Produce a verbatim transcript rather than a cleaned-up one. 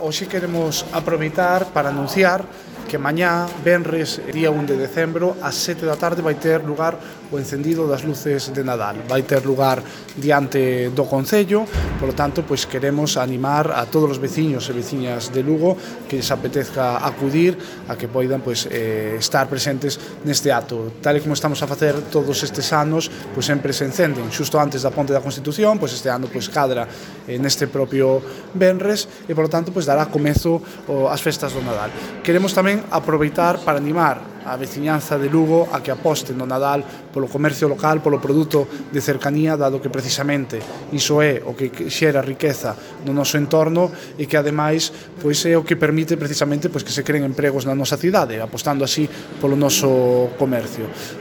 Hoxe queremos aproveitar para anunciar que mañá, venres, día un de decembro, ás sete da tarde vai ter lugar o encendido das luces de Nadal. Vai ter lugar diante do Concello, polo tanto, pois queremos animar a todos os veciños e veciñas de Lugo que lles apetezca acudir a que poidan pois, eh, estar presentes neste acto. Tal e como estamos a facer todos estes anos, pois sempre se encenden xusto antes da Ponte da Constitución, pois este ano pois cadra eh, neste propio venres e, polo tanto, pois dará comezo o, as festas do Nadal. Queremos tamén aproveitar para animar a veciñanza de Lugo a que aposten no Nadal polo comercio local, polo produto de cercanía, dado que precisamente iso é o que xera riqueza no noso entorno e que ademais pois é o que permite precisamente pois que se creen empregos na nosa cidade, apostando así polo noso comercio.